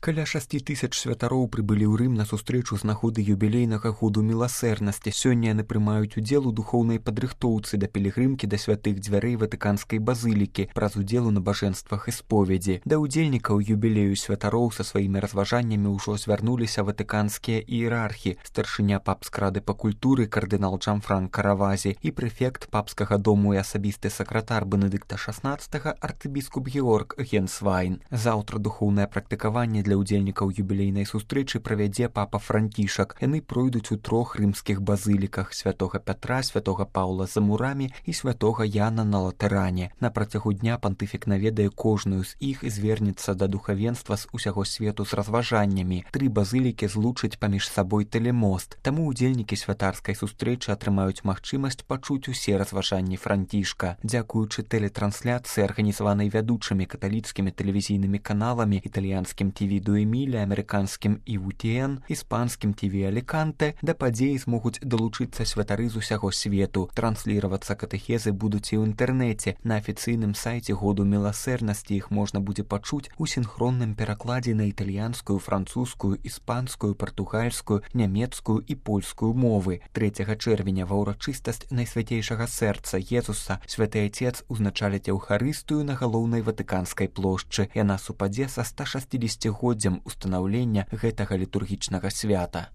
Каля 6000 святароў прыбылі ў Рым на сустрэчу з нагоды юбілейнага году міласэрнасці. Сёння яны прымаюць удзел у духоўнай падрыхтоўцы да пілігрымкі да святых дзвярэй Ватыканскай базылікі праз удзел у набажэнствах і споведзі. Да ўдзельнікаў юбілею святароў са сваімі разважаннямі ўжо звярнуліся ватыканскія іерархі, старшыня папскай рады па культуры кардынал Джанфранка Равазі і прэфект папскага дому і асабісты сакратар Бенедыкта XVI арцыбіскуп Георг Генсвайн. Заўтра духоўнае практыкаванне для ўдзельнікаў юбілейнай сустрэчы правядзе папа Францішак. Яны пройдуць у 3 рымскіх базыліках: святога Пятра, святога Паўла за мурамі і святога Яна на Латэране. На працягу дня пантыфік наведае кожную з іх і звернецца да духавенства з усяго свету з разважаннямі. 3 базылікі злучаць паміж сабой тэлемост, таму ўдзельнікі святарскай сустрэчы атрымаюць магчымасць пачуць усе разважанні Францішка. Дзякуючы тэлетрансляцыі, арганізаванай вядучымі каталіцкімі тэлевізійнымі каналамі, італьянскім ТВ Дуэмілі, амерыканскім ІВТН, іспанскім ТВ Аліканте, да падзеі змогуць далучыцца святары з усяго свету. Трансліравацца катэхезы будуць і ў інтэрнэце. На афіцыйным сайце году міласэрнасці іх можна будзе пачуць у сінхронным перакладзе на італьянскую, французскую, іспанскую, партугальскую, нямецкую і польскую мовы. 3 чэрвеня ва ўрачыстасць Найсвяцейшага сэрца Езуса святы Айцец узначаліць Еўхарыстыю на галоўнай Ватыканскай плошчы. Яна супадзе са 160-годдзям устанаўлення гэтага літургічнага свята.